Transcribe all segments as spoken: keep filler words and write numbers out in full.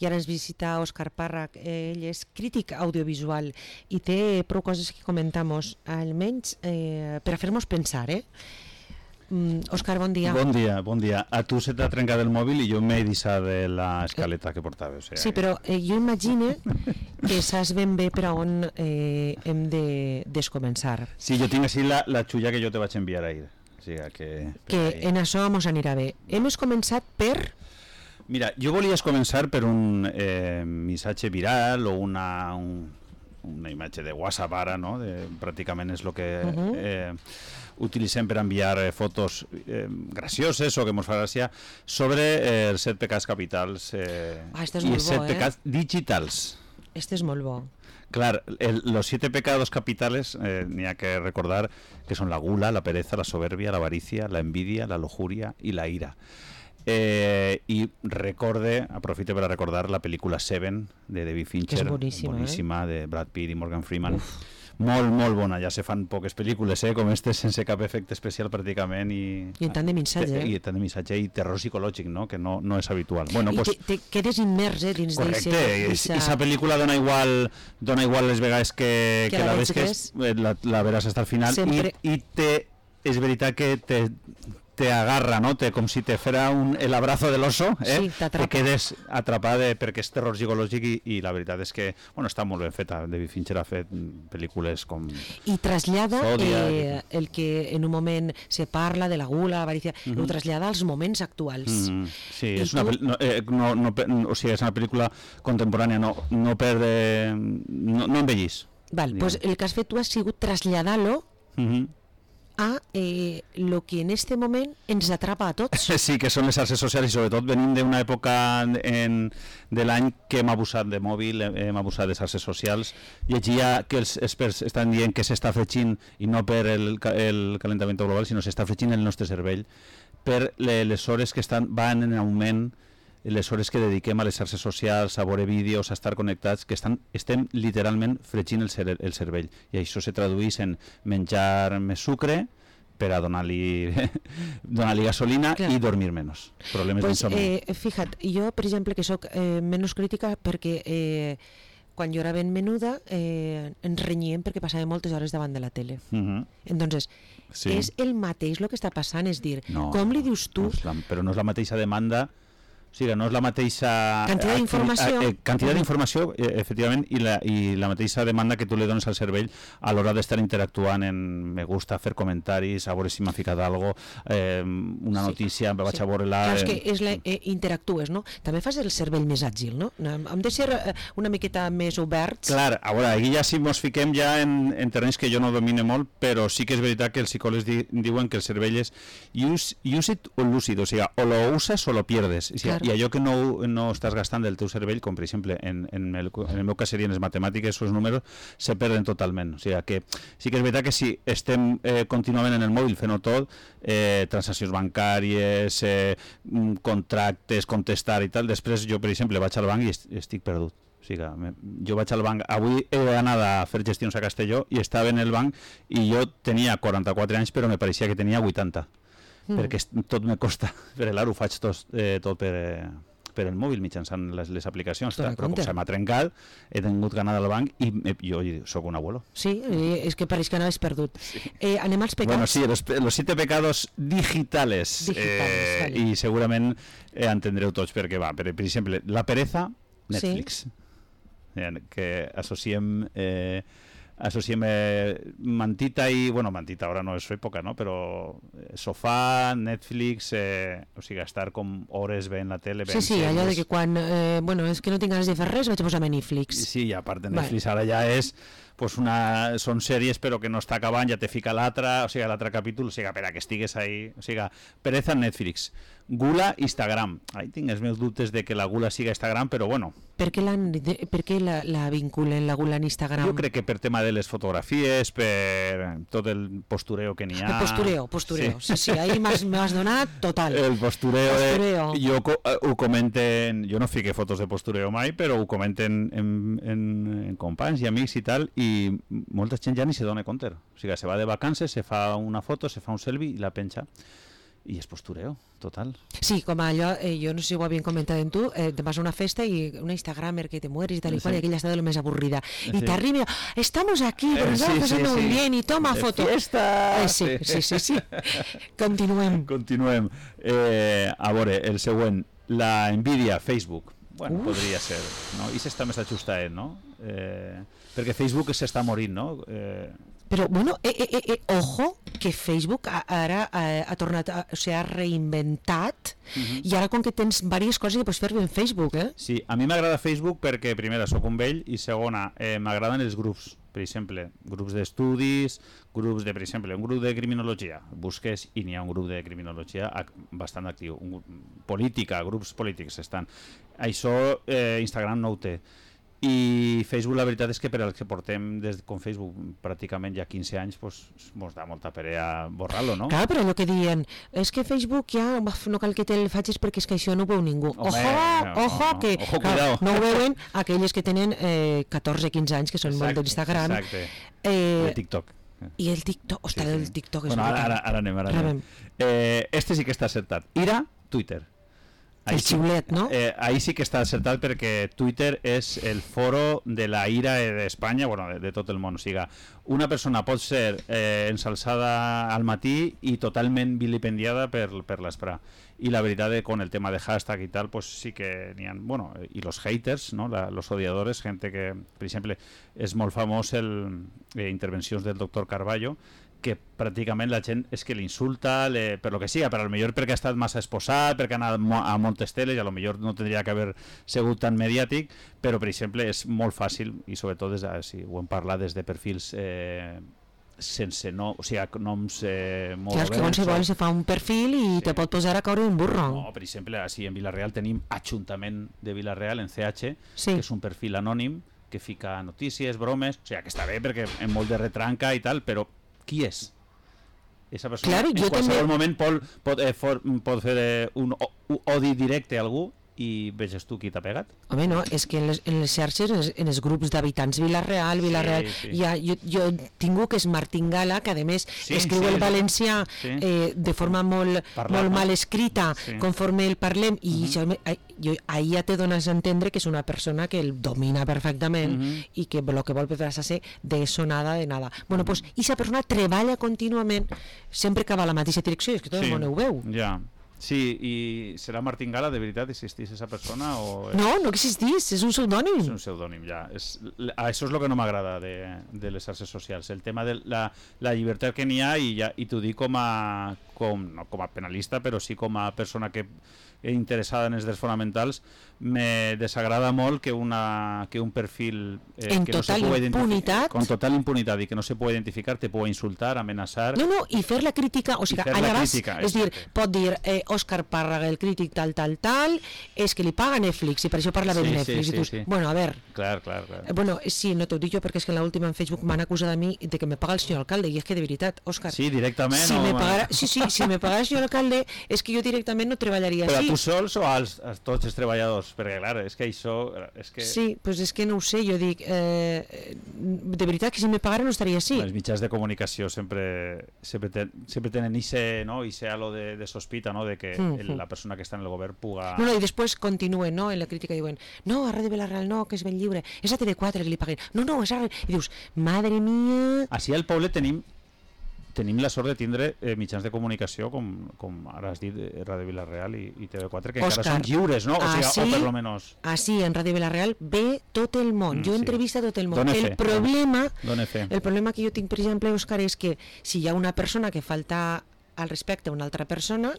i ara ens visita Òscar Parra, ell és crític audiovisual i té prou coses que comentamos, almenys eh, per a fer-nos pensar, eh? Mm, Òscar, bon dia. Bon dia, bon dia. A tu se t'ha trencat el mòbil i jo m'he deixat de l'escaleta que portava. O sigui, sí, però eh, jo imagino que saps ben bé per a on eh, hem de descomençar. Sí, jo tinc així la, la xulla que jo te vaig enviar ahir. O sigui, que que ahir. En això mos anirà bé. Hem començat per... Mira, jo volies començar per un eh, missatge viral o una, un, una imatge de WhatsApp ara, no? De, pràcticament és el que... Uh -huh. eh, utilitzem per enviar eh, fotos eh, gracioses o que mos fa gràcia sobre eh, els set pecats capitals eh, ah, este és i molt els set bo, pecats eh? digitals. Este és molt bo. Clar, el, los siete pecados capitales eh, n'hi ha que recordar que són la gula, la pereza, la soberbia, la avaricia, la envidia, la lujuria i la ira. Eh, i recorde, aprofite per a recordar la pel·lícula Seven de David Fincher, que és boníssima, boníssima eh? de Brad Pitt i Morgan Freeman. Uf. Molt, molt bona, ja se fan poques pel·lícules, eh, com este, sense cap efecte especial pràcticament i... I en tant de missatge, eh? I tant de missatge i terror psicològic, no?, que no, no és habitual. Bueno, I pues, te, te quedes immers, eh, dins correcte, d'eixa... Correcte, i pel·lícula dona igual, dona igual les vegades que, que, que la, la ves, que és, la, la veràs fins al final. Sempre... I, i te, és veritat que te... te agarra, no? Te, com si te fera un, el abrazo del oso, eh? Sí, t'atrapa. Te quedes atrapada perquè és terror psicològic i, i la veritat és que, bueno, està molt ben feta. David Fincher ha fet pel·lícules com... I trasllada Zodiac, eh, el que en un moment se parla de la gula, l'avaricia, uh -huh. ho trasllada als moments actuals. Mm -hmm. Sí, I és tu... una, no, eh, no, no, o sigui, és una pel·lícula contemporània, no, no perde... no, no envellís. Val, pues el que has fet tu ha sigut traslladar-lo mm -hmm. a eh, lo que en este moment ens atrapa a tots. Sí, que són les xarxes socials i sobretot venim d'una època en, de l'any que hem abusat de mòbil, hem abusat de xarxes socials. Llegia que els experts estan dient que s'està fregint, i no per el, el calentament global, sinó s'està fregint el nostre cervell per les hores que estan, van en augment, les hores que dediquem a les xarxes socials, a veure vídeos, a estar connectats, que estan, estem literalment fregint el, cer el cervell. I això se tradueix en menjar més sucre per a donar-li donar-li gasolina. Clar. I dormir menys. Problemes pues, d'insomni. Eh, fija't, jo, per exemple, que sóc eh, menys crítica perquè eh, quan jo era ben menuda eh, ens renyíem perquè passàvem moltes hores davant de la tele. Uh -huh. Entonces, sí. És el mateix el que està passant, és dir, no, com li dius tu... No és la, però no és la mateixa demanda. O sigui, no és la mateixa... Quantitat d'informació. Eh, quantitat d'informació, eh, efectivament, i la, i la mateixa demanda que tu li dones al cervell a l'hora d'estar interactuant en me gusta, fer comentaris, a veure si m'ha ficat alguna cosa, eh, una sí, notícia, em vaig sí. a veure-la... Clar, és que és la, eh, interactues, no? També fas el cervell més àgil, no? Hem de ser eh, una miqueta més oberts. Clar, a veure, aquí ja si mos fiquem ja en, en terrenys que jo no domine molt, però sí que és veritat que els psicòlegs di, diuen que el cervell és use, use it o lúcid, o sigui, o lo usas o lo pierdes. O sigui, claro. I allò que no, no estàs gastant del teu cervell, com per exemple en, en, el, en el meu cas serien les matemàtiques, els números, se perden totalment. O sigui que sí que és veritat que si estem eh, contínuament en el mòbil fent-ho tot, eh, transaccions bancàries, eh, contractes, contestar i tal, després jo per exemple vaig al banc i est estic perdut. O sigui, jo vaig al banc, avui he anat a fer gestions a Castelló i estava en el banc i jo tenia quaranta-quatre anys però me pareixia que tenia vuitanta. Mm. Perquè tot me costa, per l'ara ho faig tot, eh, tot per, eh, per el mòbil mitjançant les, les aplicacions, però com se m'ha trencat he tingut ganar del banc i eh, jo sóc un abuelo. Sí, és que pareix que anaves perdut. Sí. Eh, anem als pecats. Bueno, sí, los, los siete pecados digitales, digitales eh, vale. I segurament eh, entendreu tots per què va. Per, per exemple, la pereza, Netflix, sí. eh, que associem... Eh, associem eh, mantita i, bueno, mantita ara no és su època, no? Però eh, sofà, Netflix, eh, o sigui, estar com hores veient la tele. Sí, sí, allò de que quan, eh, bueno, és que no tinc ganes de fer res, vaig a posar Netflix. Sí, i a part de Netflix, vale. Ara ja és, pues una, són sèries però que no està acabant, ja te fica l'altre, o sigui, l'altre capítol, o sigui, per a que estigues ahí, o sigui, pereza Netflix. Gula, Instagram. Ahí tinc els meus dubtes de que la gula siga Instagram, però bueno. Per què, de, per què la, la vinculen, la gula en Instagram? Jo crec que per tema de les fotografies, per tot el postureo que n'hi ha... El postureo, postureo. Sí, sí, sí ahí m'has donat total. El postureo, postureo. Eh, jo ho comenten, jo no fique fotos de postureo mai, però ho comenten en, en, en companys i amics i tal, i molta gent ja ni se dona compte. O sigui, se va de vacances, se fa una foto, se fa un selfie i la penja. i és postureo, total. Sí, com allò, eh, jo no sé si ho havien comentat en tu, eh, te vas a una festa i una Instagramer que te mueres y tal y cual, sí. Y aquella está de lo más aburrida. Sí. Y te arriba, estamos aquí, pero nos estamos pasando muy bien y toma de foto. Fiesta! Eh, sí, sí, sí, sí. Continuem. Continuem. Eh, a veure, el següent, la Nvidia, Facebook. Bueno, Uf. podria ser, no? I s'està més ajustat, no? Eh, perquè Facebook s'està morint, no? Eh, Però, bueno, eh, eh, eh, ojo, que Facebook ara ha, ha tornat, a, o sigui, ha reinventat uh-huh. i ara com que tens diverses coses que pots fer en Facebook, eh? Sí, a mi m'agrada Facebook perquè, primera, sóc un vell i segona, eh, m'agraden els grups, per exemple, grups d'estudis, grups de, per exemple, un grup de criminologia, busques i n'hi ha un grup de criminologia bastant actiu, un, política, grups polítics estan. Això eh, Instagram no ho té. I Facebook la veritat és que per al que portem des com Facebook pràcticament ja quinze anys pues, mos da molta perea borrar-lo, no? Clar, però allò que diuen és que Facebook ja no cal que te'l facis perquè és que això no ho veu ningú. Home, ojo, no, ojo, no, que ojo, clar, no ho veuen aquelles que tenen eh, catorze quinze anys que són exacte, molt d'Instagram. Exacte, eh, de TikTok. I el TikTok, ostres, sí, sí. el TikTok és bueno, ara, ara, ara anem, ara anem. Eh, este sí que està acertat. Ira, Twitter. Ahí el xiulet, sí, no? Eh, ahí sí que està acertat perquè Twitter és el foro de la ira d'Espanya, bueno, de, de tot el món. O sigui, una persona pot ser eh, ensalçada al matí i totalment vilipendiada per, per l'esprà. I la veritat és que con el tema de hashtag i tal, pues sí que n'hi ha, bueno, i los haters, no? La, los odiadores, gente que, per exemple, és molt famós el eh, intervencions del doctor Carballo, que pràcticament la gent és que l'insulta le, per lo que siga, per al millor perquè ha estat massa exposat, perquè ha anat a moltes teles i a lo millor no tindria que haver sigut tan mediàtic, però per exemple és molt fàcil i sobretot des de, si ho hem parlat des de perfils eh, sense no, o sigui, noms eh, molt clar, que qualsevol se fa un perfil i sí. te pot posar a caure un burro. No, per exemple, així en Vilareal tenim Ajuntament de Vilareal en C H, sí. que és un perfil anònim que fica notícies, bromes, o sigui, que està bé perquè en molt de retranca i tal, però qui és? Esa persona claro, en jo qualsevol també... moment pot, pot, eh, for, pot fer eh, un odi directe a algú i veges tu qui t'ha pegat. Home, no, és que en les, en les xarxes, en els, en els grups d'habitants Vilareal, Vilareal, sí, sí. Ja, jo, jo tinc que és Martín Gala, que a més sí, escriu sí, el valencià sí. eh, de forma molt, Parlar, molt mal escrita, sí. conforme el parlem, i uh -huh. això, jo, ahir ja te dones a entendre que és una persona que el domina perfectament uh -huh. i que el que vol fer és ser de eso nada, de nada. Bueno, uh -huh. pues, aquesta persona treballa contínuament sempre que va a la mateixa direcció, és que tot sí. el món ho veu. Ja. Sí, i serà Martín Gala, de veritat, existís esa persona? O és... No, no existís, és un pseudònim. És un pseudònim, ja. És, això és el que no m'agrada de, de les xarxes socials, el tema de la, la llibertat que n'hi ha, i, ja, i t'ho dic com a, com, no com a penalista, però sí com a persona que interessada en els drets fonamentals, me desagrada molt que, una, que un perfil eh, en que total no se impunitat con total impunitat i que no se puede identificar te puede insultar, amenaçar no, no, i fer la crítica, o sigui, allà vas crítica, és dir, pot dir eh, Òscar Párraga, el crític tal, tal, tal és que li paga Netflix i per això parla bé sí, de Netflix sí, i tu, sí, sí. bueno, a ver clar, clar, clar. Eh, bueno, sí, no t'ho dic jo perquè és que en l'última en Facebook m'han acusat a mi de que me paga el senyor alcalde i és que de veritat, Òscar sí, directament si o... me pagara, sí, sí, si me pagara el senyor alcalde és que jo directament no treballaria però així. a tu sols o als, a tots els treballadors? Perquè clar, és que això és que... sí, pues és que no ho sé, jo dic eh, de veritat que si me pagara no estaria així. Els mitjans de comunicació sempre sempre, ten, sempre tenen ese, no? ese halo de, de sospita, no? De que mm-hmm. el, la persona que està en el govern puga... No, no, i després continuen, no?, en la crítica diuen no, a Ràdio Vilareal no, que és ben lliure, és a T V quatre que li paguen, no, no, és a... i dius, madre mía... Així al poble tenim tenim la sort de tindre eh, mitjans de comunicació com, com ara has dit, Ràdio Vilareal i, i T V quatre, que Òscar, encara són lliures, no? O sigui, así, o per lo menos... Així, en Ràdio Vilareal ve tot el món, mm, jo sí. entrevista tot el món. Dóne el fe, problema dóne fe. el problema que jo tinc, per exemple, Òscar, és que si hi ha una persona que falta al respecte a una altra persona,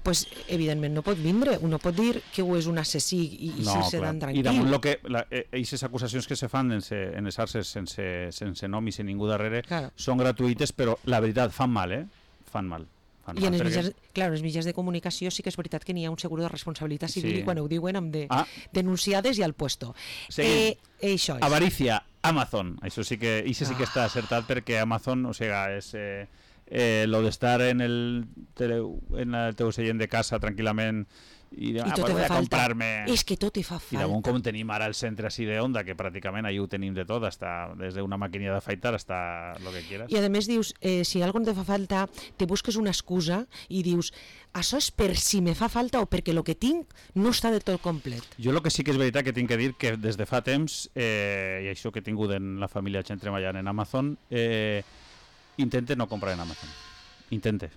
pues evidentment no pot vindre, uno pot dir que ho és un assassí i, i no, se dan tranquil. I damunt lo que aquestes acusacions que se fan en, se, en les xarxes sense, sense nom i sense ningú darrere claro. són gratuïtes, però la veritat fan mal, eh? Fan mal. Fan I mal, en els, perquè... mitjans, clar, els mitjans de comunicació sí que és veritat que n'hi ha un seguro de responsabilitat civil sí. i quan ho diuen amb de ah. denunciades i al puesto. Eh, això és. Avarícia, Amazon. Això sí que, això sí que està acertat perquè Amazon, o sigui, és... Eh, eh, lo d'estar en el tele, en el teu seient de casa tranquil·lament i, I ah, tot pues voy a falta. comprarme... És que tot te fa falta. I damunt com tenim ara el centre així d'Onda, que pràcticament allà ho tenim de tot, hasta, des d'una màquina d'afaitar hasta lo que quieras. I a més dius, eh, si algo te fa falta, te busques una excusa i dius, això és per si me fa falta o perquè el que tinc no està de tot complet. Jo el que sí que és veritat que tinc que dir que des de fa temps, eh, i això que he tingut en la família gent treballant en Amazon, eh, intente no comprar en Amazon. Intente.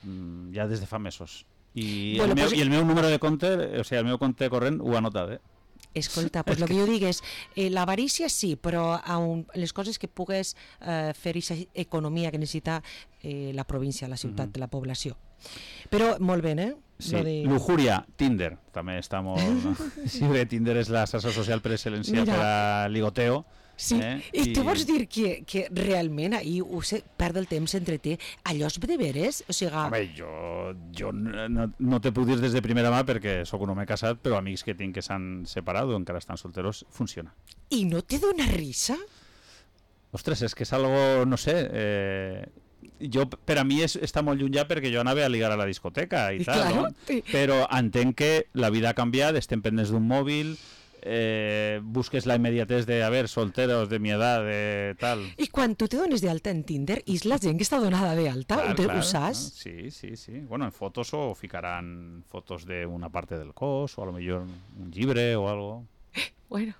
Mm, ja des de fa mesos. I, bueno, el meu, pues... i el meu número de compte, o sigui, el meu compte corrent ho ha notat, eh? Escolta, pues el que jo dic és, eh, l'avarícia sí, però un, les coses que pugues eh, fer aquesta economia que necessita eh, la província, la ciutat, mm-hmm. la població. Però molt bé, eh? Sí, de... Lujuria, Tinder, també està molt... No? Sí, bé, Tinder és la xarxa social per excel·lència per a ligoteo. Sí, eh? I, I tu vols dir que, que realment ahir ho sé, perd el temps entre té, allò és de veres? O sigui... Home, jo, jo no, no te puc dir des de primera mà perquè sóc un home casat, però amics que tinc que s'han separat o encara estan solteros, funciona. I no te dona risa? Ostres, és que és algo, no sé... Eh... Jo, per a mi és, està molt lluny ja perquè jo anava a ligar a la discoteca i, I tal, claro, no? Sí. Però entenc que la vida ha canviat, estem pendents d'un mòbil, eh, busques la immediatez de, a ver, solteros de mi edad, de tal... I quan tu te dones d'alta en Tinder, és la gent que està donada d'alta? Clar, ho, clar, ho saps? ¿no? Sí, sí, sí. Bueno, en fotos o ficaran fotos de una parte del cos o a lo mejor un llibre o algo. Bueno...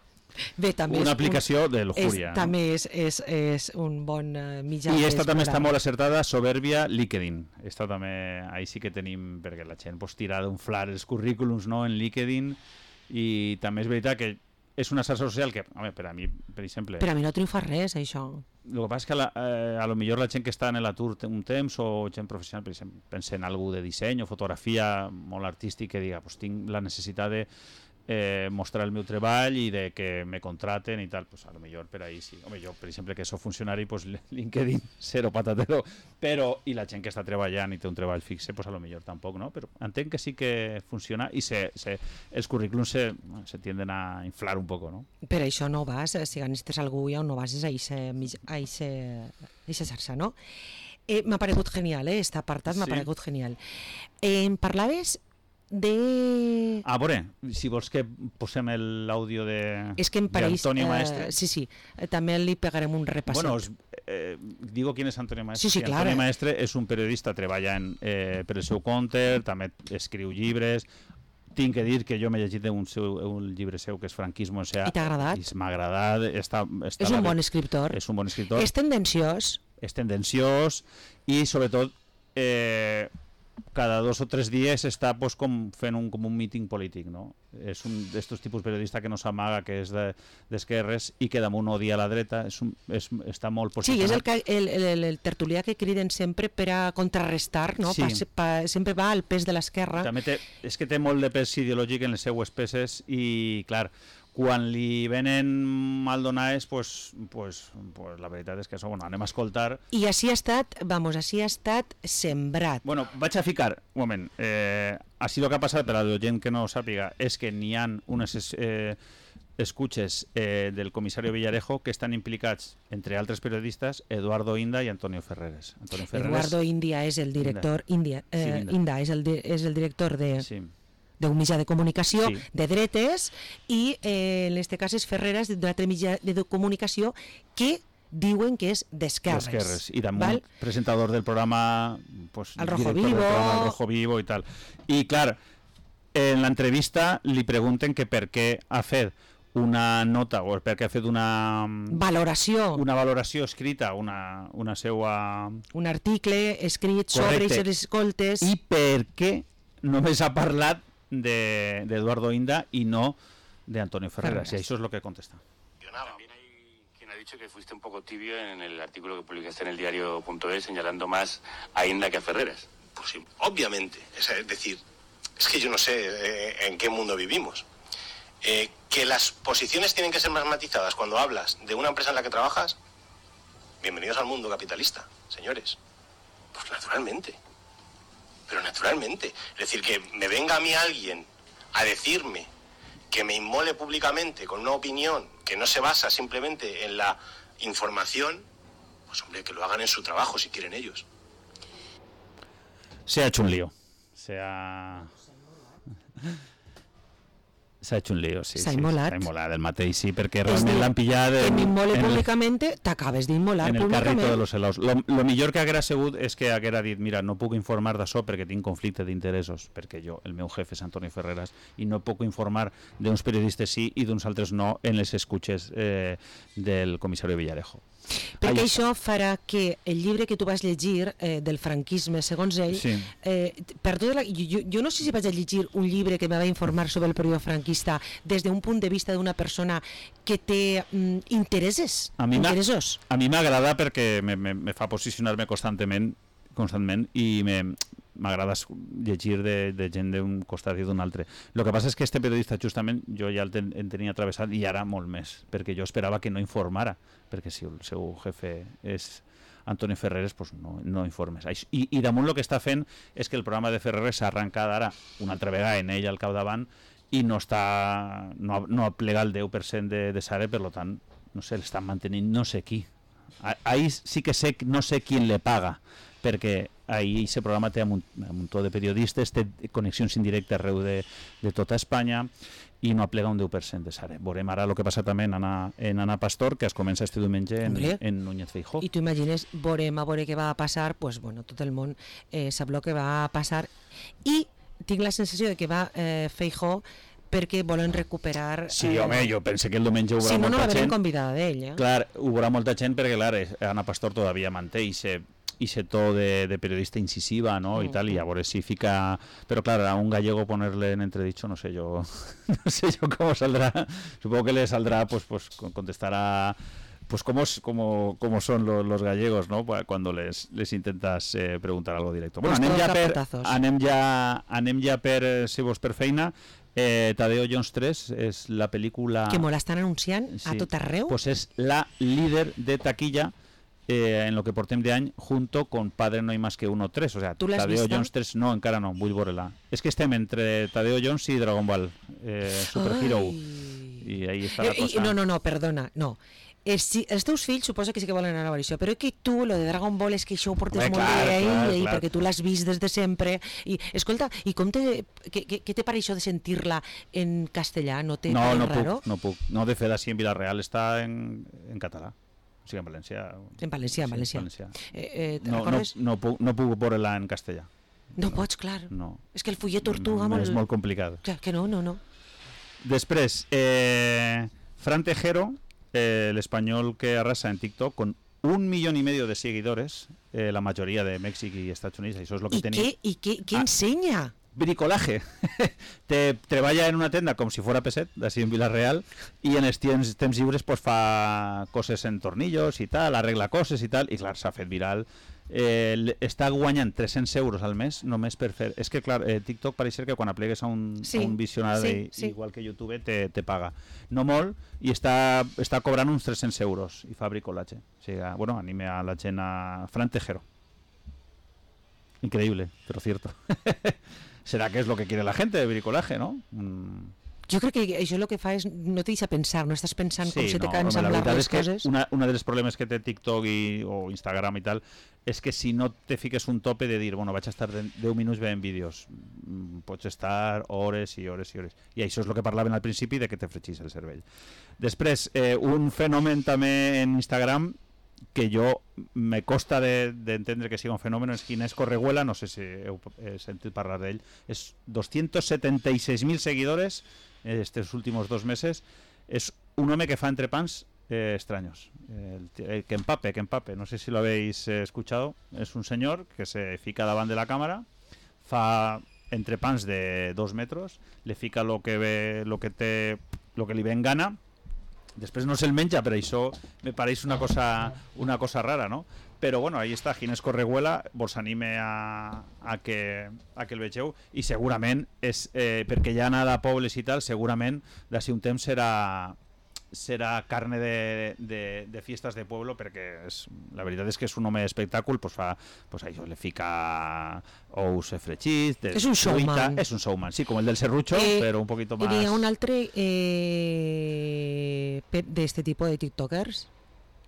Bé, també una aplicació un, de lujuria. És, no? També és, és, és un bon uh, mitjà. I esta també està molt acertada, Soberbia, LinkedIn. Esta també, ahí sí que tenim, perquè la gent pues, tira d'unflar els currículums, no, en LinkedIn, i també és veritat que és una xarxa social que, home, per a mi, per exemple... Per a mi no triomfa res, això. El que passa és que la, eh, a lo millor la gent que està en l'atur un temps o gent professional, per exemple, pensa en algú de disseny o fotografia molt artístic que diga, pues, tinc la necessitat de Eh, mostrar el meu treball i de que me contraten i tal, pues a lo millor per ahí sí. Home, jo, per exemple, que soc funcionari, pues LinkedIn, cero patatero, però, i la gent que està treballant i té un treball fixe, pues a lo millor tampoc, no? Però entenc que sí que funciona i se, se, els currículums se, se tienden a inflar un poco, no? Per això no vas, si necessites algú ja no vas a aquesta xarxa, no? Eh, m'ha paregut genial, eh? Este apartat m'ha sí. paregut genial. Eh, em parlaves de... Ah, veure, si vols que posem l'àudio de és que em pareix, Antonio Maestre. Eh, sí, sí, eh, també li pegarem un repasset. Bueno, os, eh, digo quién es Antonio Maestre. Sí, sí, Antonio claro. Maestre és un periodista, treballa en, eh, per el seu compte, també escriu llibres. Tinc que dir que jo m'he llegit un, seu, un llibre seu que és Franquismo. O sea, I t'ha agradat? I m'ha agradat. Està, està és un la, bon escriptor. És un bon escriptor. És tendenciós. És tendenciós i, sobretot, eh, cada dos o tres dies està pues, com fent un, com un míting polític, no? És un d'estos tipus periodista que no s'amaga, que és d'esquerres de, i que damunt odia la dreta, és un, és, està molt posicionat. Sí, és el, que, el, el, el tertulià que criden sempre per a contrarrestar, no? Sí. Pa, pa, sempre va al pes de l'esquerra. També té, és que té molt de pes ideològic en les seues peces i, clar, quan li venen maldonades, pues, pues, pues la veritat és que això, bueno, anem a escoltar. I així ha estat, vamos, així ha estat sembrat. Bueno, vaig a ficar, un moment, eh, així el que ha passat, per a la gent que no ho sàpiga, és que n'hi ha unes eh, escuches eh, del comissari Villarejo que estan implicats, entre altres periodistes, Eduardo Inda i Antonio Ferreres. Antonio Ferreres Eduardo India és el director, India, eh, sí, Inda. Inda és el, di, és el director de... Sí. d'un mitjà de comunicació sí. de dretes i eh, en aquest cas és Ferreres d'un altre mitjà de comunicació que diuen que és d'esquerres. D'esquerres. I damunt presentador del programa pues, El Rojo Vivo. Programa, El Rojo Vivo i tal. I clar, en l'entrevista li pregunten que per què ha fet una nota o perquè ha fet una valoració una valoració escrita, una, una seua... un article escrit correcte. Sobre els escoltes i per què només ha parlat de, de Eduardo Inda y no de Antonio Ferreras. Y eso es lo que contesta. También hay quien ha dicho que fuiste un poco tibio en el artículo que publicaste en el diario punto es señalando más a Inda que a Ferreras. Pues sí, obviamente. Es decir, es que yo no sé eh, en qué mundo vivimos. Eh, que las posiciones tienen que ser más matizadas cuando hablas de una empresa en la que trabajas. Bienvenidos al mundo capitalista, señores. Pues naturalmente. Pero naturalmente. Es decir, que me venga a mí alguien a decirme que me inmole públicamente con una opinión que no se basa simplemente en la información, pues hombre, que lo hagan en su trabajo si quieren ellos. Se ha hecho un lío. Se ha... S'ha hecho un lío, sí. S'ha sí, immolat. S'ha immolat el mateix, sí, perquè realment l'han pillat... Que m'immole públicament, t'acabes d'immolar públicament. En el públicament. carrito de los helados. Lo, lo millor que haguera sigut és que haguera dit, mira, no puc informar d'això perquè tinc conflicte d'interessos, perquè jo, el meu jefe és Antoni Ferreras, i no puc informar d'uns periodistes sí i d'uns altres no en les escuches eh, del comissari Villarejo. Perquè Ai. això farà que el llibre que tu vas llegir eh, del franquisme, segons ell, sí. eh, per tota la, jo, jo no sé si vaig a llegir un llibre que me va informar sobre el període franquista des d'un punt de vista d'una persona que té mm, interessos. A mi interessos. A mi m'agrada perquè me, me, me fa posicionar-me constantment, constantment i me... m'agrada llegir de, de gent d'un costat i d'un altre. El que passa és que este periodista justament jo ja el, ten, el tenia travessat i ara molt més, perquè jo esperava que no informara, perquè si el seu jefe és Antoni Ferreres, pues no, no informes. I, I damunt el que està fent és que el programa de Ferreres s'ha arrencat ara una altra vegada en ell al capdavant i no està no, no plega el deu per cent de, de Sare, per tant, no sé, l'estan mantenint no sé qui. Ahí sí que sé, no sé qui le paga, perquè ahí aquest programa té un muntó de periodistes, té connexions indirectes arreu de, de tota Espanya i no aplega un deu per cent de Sare. Veurem ara el que passa també en Ana, en Ana Pastor, que es comença este diumenge en, en Núñez Feijóo. I tu imagines, veurem a veure què va passar, pues, bueno, tot el món eh, sap el que va passar i tinc la sensació de que va eh, Feijóo perquè volen recuperar... Sí, eh... home, jo pense que el diumenge ho veurà si no, molta no gent. Si no, no va convidada d'ell, eh? Clar, ho veurà molta gent perquè, clar, Ana Pastor todavía manté i se... i ese to de, de periodista incisiva, ¿no? Mm. Y tal, y a ver si fica... Pero claro, a un gallego ponerle en entredicho, no sé yo no sé yo cómo saldrá. Supongo que le saldrá, pues, pues contestará... Pues como, como, como son los, los gallegos, ¿no? Cuando les, les intentas eh, preguntar algo directo. Bueno, pues anem ja, per, anem, ja, anem ja per, si vos per feina. Eh, Tadeo Jones tres és la pel·lícula... Que me la estan anunciant sí, a tot arreu. Pues és la líder de taquilla Eh, en lo que portem de any, junto con Padre no hay más que uno tres, o sea, Tadeo vist, Jones tres, no, encara no, vull veure-la. És que estem entre Tadeo Jones i Dragon Ball eh, Super Hero i ahí està la cosa. No, no, no, perdona, no. Els, si, els teus fills suposa que sí que volen anar a veure això, però és que tu, lo de Dragon Ball, és que això ho portes Bé, molt clar, bé ahí, clar, ahí clar. perquè tu l'has vist des de sempre. I, escolta, i com te, què, què, què te pare això de sentir-la en castellà? No te no, no raro? puc, no puc. No, de fet, així en Villarreal està en, en català. O sigui, en valencià. En valencià, en sí, valencià. valencià. Eh, eh, no, no, no, puc, no puc veure-la en castellà. No pots, clar. No. És que el fullet tortuga... No, és molt complicat. Clar, que no, no, no. Després, eh, Fran Tejero, eh, l'espanyol que arrasa en TikTok, con un millón y medio de seguidores, eh, la mayoría de México y Estados Unidos, això és lo que I tenia. Què, I què, què ah, ensenya? Bricolaje. Te treballa en una tenda com si fuera Peset, d'ací en Villarreal, i en els temps, temps lliures pues, fa coses en tornillos i tal, arregla coses i tal, i clar, s'ha fet viral. Eh, està guanyant tres-cents euros al mes només per fer... És que clar, eh, TikTok pareix ser que quan aplegues a un, sí, a un visionari sí, sí. igual que YouTube te, te paga. No molt, i està, està cobrant uns tres-cents euros i fa bricolatge. O sigui, bueno, anime a la gent a Fran Tejero. Increíble, pero cierto. ¿Será que es lo que quiere la gente de bricolaje, no? Mm. Jo crec que això el que fa és no te deixa pensar, no estàs pensant sí, com se te no, cansa amb les coses. Una, una dels problemes que té TikTok i, o Instagram i tal és que si no te fiques un tope de dir, bueno, vaig a estar deu minuts veient vídeos, pots estar hores i hores i hores. I això és el que parlaven al principi de que te fregís el cervell. Després, eh, un fenomen també en Instagram que jo me costa d'entendre de, que sigui un fenomen és Ginés Correguela, no sé si heu eh, sentit parlar d'ell, és doscientos setenta y seis mil seguidores eh, estos últimos dos meses, és un home que fa entrepans eh, extraños, el, el que empape, que empape, no sé si lo habéis eh, escuchado, es un señor que se fica davant de la cámara, fa entrepans de dos metros, le fica lo que ve, lo que té, lo que li ve en gana. Després no se'l menja, però això me pareix una cosa, una cosa rara, no? Però bueno, ahí està, Ginés Correguela, vos anime a, a, que, a que el vegeu i segurament, és, eh, perquè ja anada a pobles i tal, segurament d'ací un temps serà, serà carne de, de, de fiestas de pueblo, perquè és, la veritat és que és un home d'espectàcul, pues fa, pues això le fica ous fregits, és un showman, és un showman, sí, com el del serrucho, eh, però un poquito más. ¿Y un altre eh, de este tipo de tiktokers?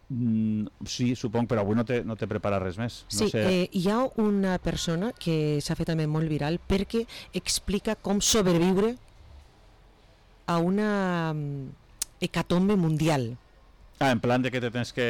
Mm, sí, suponc, però avui no t'he no preparat res més. No sí, sé. eh, hi ha una persona que s'ha fet també molt viral perquè explica com sobreviure a una hecatombe mundial. Ah, en plan de que te tens que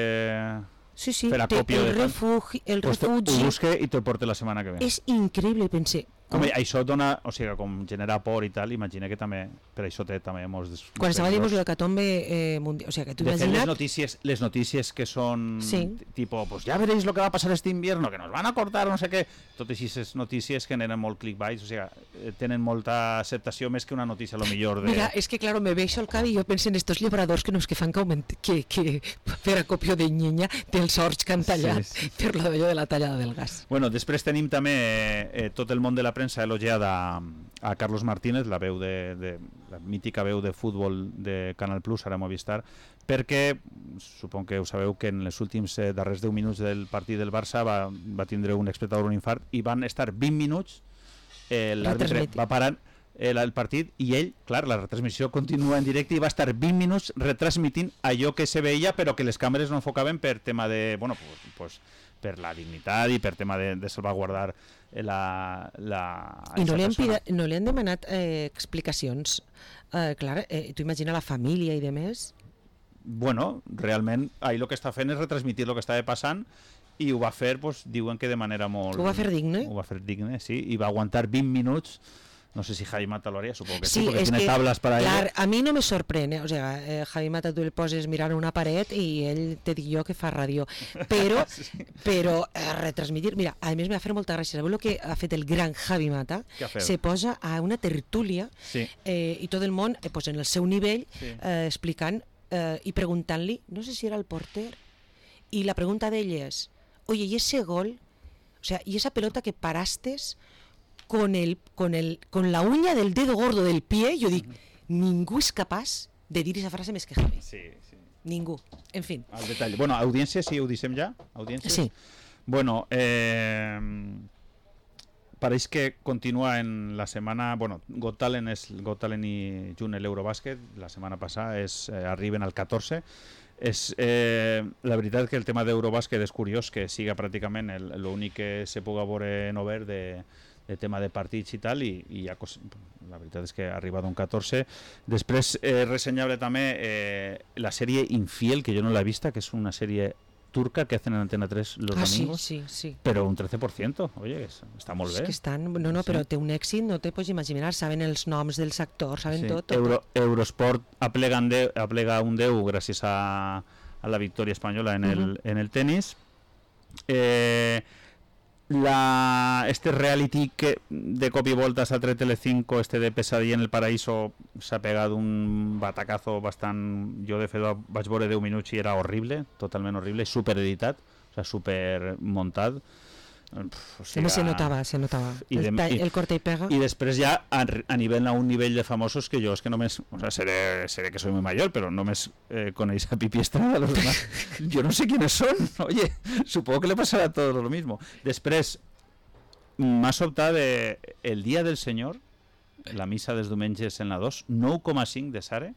sí, sí, fer acopio el de... refugi, el pues refugi... Ho busque i te'l porte la setmana que ve. És increïble, pensé. Home, això dona, o sigui, com genera por i tal, imagina que també, per això té també molts... Des... Quan estava dient l'hecatombe eh, mundial, o sigui, que tu de fet, imagina't... les notícies, les notícies que són, sí. tipo, pues ya veréis lo que va a pasar este invierno, que nos van a cortar, no sé què, totes aquestes notícies generen molt clickbait, o sigui, tenen molta acceptació més que una notícia, a lo millor de... Mira, és que, claro, me veixo el cap i jo penso en estos llibradors que no és que fan que, augment... que, que per acopio de llenya dels horts que han tallat sí, sí. per l'allò de la tallada del gas. Bueno, després tenim també eh, tot el món de la premsa elogiada a Carlos Martínez, la veu de, de la mítica veu de futbol de Canal Plus, ara Movistar, perquè supon que ho sabeu que en els últims eh, darrers deu minuts del partit del Barça va, va tindre un espectador un infart i van estar vint minuts eh, l'àrbitre va parar eh, el partit i ell, clar, la retransmissió continua en directe i va estar vint minuts retransmitint allò que se veia però que les càmeres no enfocaven per tema de, bueno, pues, pues per la dignitat i per tema de, de salvaguardar la... la I no li, han pida, no li han demanat eh, explicacions? Eh, clar, eh, tu imagina la família i de més? Bueno, realment, ahir el que està fent és retransmitir el que estava passant i ho va fer, pues, diuen que de manera molt... Ho va fer digne? Ho va fer digne, sí, i va aguantar vint minuts. No sé si Javi Mata lo haría, supongo que sí, sí porque tiene que, tablas para clar, ello. A mi no me sorprèn, eh? O sea, eh, Javi Mata tu el poses mirant una paret i ell te dic jo que fa ràdio, però, sí. però eh, retransmitir... Mira, a més m'ha fet molta gràcia, sabeu el que ha fet el gran Javi Mata? Se posa a una tertúlia sí. eh, i tot el món eh, pues en el seu nivell sí. eh, explicant eh, i preguntant-li, no sé si era el porter, i la pregunta d'ell és, oye, ¿y ese gol? O sea, ¿y esa pelota que parastes con el con el con la uña del dedo gordo del pie? Jo dic, uh-huh. ningú és capaç de dir aquesta frase més que Javi. Sí, sí. Ningú. En fin. Al detall. Bueno, audiència, sí, ho dissem ja? Audiències? Sí. Bueno, eh, pareix que continua en la setmana... Bueno, Got Talent, és, Got Talent i junt l'Eurobàsquet, la setmana passada, és, eh, arriben al catorze. És, eh, la veritat que el tema d'Eurobàsquet és curiós que siga pràcticament l'únic que se puga veure en obert de, de tema de partits i tal, i, i ja, la veritat és que ha arribat un catorze. Després, eh, ressenyable també eh, la sèrie Infiel, que jo no l'he vista, que és una sèrie turca que hacen en Antena tres los ah, domingos, sí, sí, sí. pero un trece por ciento, oye, està molt bé. És que estan, no, no, però sí. té un èxit, no te pots imaginar, saben els noms dels actors, saben sí. tot. tot, Euro, tot. Eurosport aplega, de, aplega un deu gràcies a, a la victòria espanyola en el, uh-huh. en el tenis. Eh, la, este reality que de cop i volta s'ha tret Telecinco, este de Pesadilla en el Paraíso, s'ha pegat un batacazo bastant... Jo de fet vaig veure deu minuts i era horrible, totalment horrible, supereditat, o sea, supermuntat. O sigui, se notava, se notava. El, de, i, el corte i pega. I després ja a, a nivell a un nivell de famosos que jo és que només, o sea, seré, seré que soy muy mayor, pero només eh, coneix a Pipi Estrada, los demás. Yo no sé quiénes son. Oye, supongo que le pasará a todos lo mismo. Després m'ha sobtat de El Dia del Senyor, la missa dels diumenges en la dos, nou coma cinc de Sare,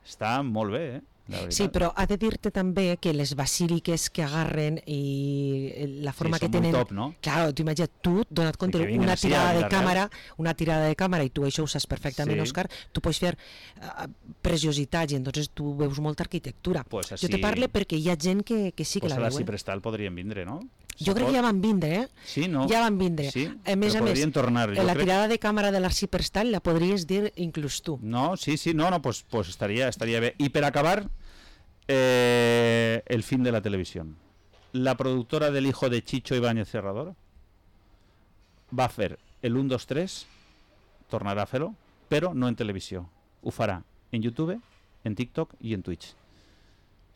està molt bé, eh? Sí, però ha de dir-te també que les basíliques que agarren i la forma sí, que tenen... Top, no? Claro, tu imagina't, tu, donat compte, sí, una tirada de càmera, una tirada de càmera, i tu això ho saps perfectament, sí. Òscar, tu pots fer uh, preciositats i entonces tu veus molta arquitectura. Pues así... Jo te parlo perquè hi ha gent que, que sí que pues la veu. Pues a la Ciprestal podrien vindre, no? Jo crec que ja van vindre, eh? Sí, no? Ja van vindre. Sí, a més a més, tornar. la crec... tirada de càmera de l'Arciprestal la podries dir inclús tu. No, sí, sí, no, no, pues, pues estaria, estaria bé. I per acabar, eh, el fin de la televisión. La productora del hijo de Chicho Ibáñez Serrador va a fer el un, dos, tres, tornarà a fer-ho, però no en televisió. Ho farà en YouTube, en TikTok i en Twitch.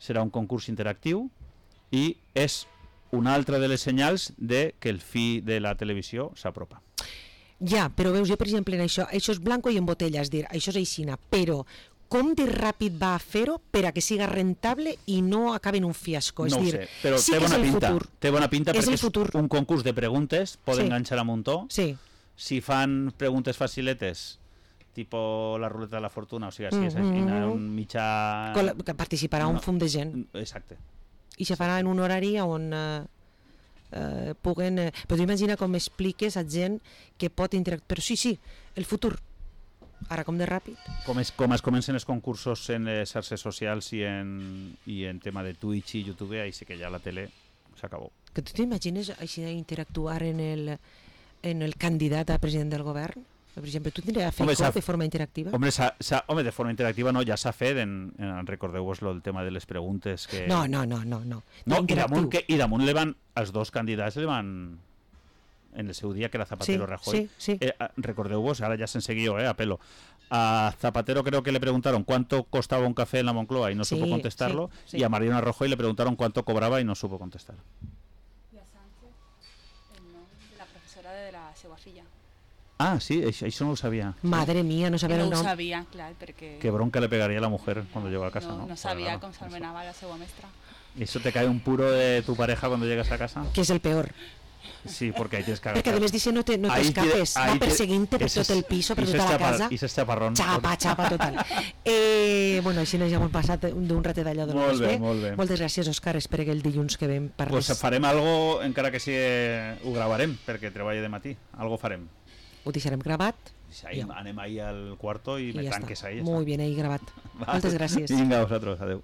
Serà un concurs interactiu i és una altra de les senyals de que el fi de la televisió s'apropa. Ja, però veus, jo per exemple en això, això és blanco i en botella, és dir, això és aixina, però com de ràpid va a fer-ho per a que siga rentable i no acabi en un fiasco? És no dir, ho sé, però sí té bona pinta, futur. té bona pinta és perquè és un concurs de preguntes, poden sí. enganxar a muntó. Sí. Si fan preguntes faciletes, tipo la ruleta de la fortuna, o sigui, si és mm -hmm. un mitjà... Que participarà no, un fum de gent. Exacte. i se farà en un horari on eh, eh, puguen... Eh, però imagina com expliques a gent que pot interactuar. Però sí, sí, el futur. Ara com de ràpid. Com es, com es comencen els concursos en les xarxes socials i en, i en tema de Twitch i YouTube, ahí sí que ja la tele s'acabó. Que tu t'imagines així interactuar en el, en el candidat a president del govern? Per exemple, tu tindries a fer home, de forma interactiva? Home, s ha, s ha, home, de forma interactiva no, ja s'ha fet, en, en, recordeu-vos el tema de les preguntes que... No, no, no, no. no. no i, damunt que, I damunt le van, els dos candidats le van, en el seu dia, que era Zapatero sí, Rajoy, sí, sí. Eh, recordeu-vos, ara ja sense guió, eh, a pelo, a Zapatero creo que le preguntaron cuánto costaba un café en la Moncloa y no sí, supo contestarlo, sí, sí. y a Mariano Rajoy le preguntaron cuánto cobraba y no supo contestar. I a Sánchez, el nom de la professora de la seva filla. Ah, sí, això, això no ho sabia. Madre mía, no sabia no el nom. No ho sabia, clar, perquè... Qué bronca le pegaría a la mujer cuando llegó a casa, ¿no? No, no sabia no, com s'anomenava la seva mestra. ¿Y eso te cae un puro de tu pareja cuando llegas a casa? Que es el peor. Sí, porque ahí tienes que Perquè a més dice no te, no te escapes, va perseguint-te per tot el piso, per tota la casa. I s'és xaparrón. Xapa, xapa, total. eh, bueno, així ja hem passat d'un ratet d'allò de molt bé, molt bé. Moltes gràcies, Òscar, espero que el dilluns que vem parles. Pues farem algo, encara que sí ho gravarem, perquè treballa de matí, algo farem. Ho deixarem gravat. Ahí, anem ahí al cuarto i, i me ja tanques ahí. Muy bien, ahí gravat. Va. Moltes gràcies. Vinga, a vosaltres, adeu.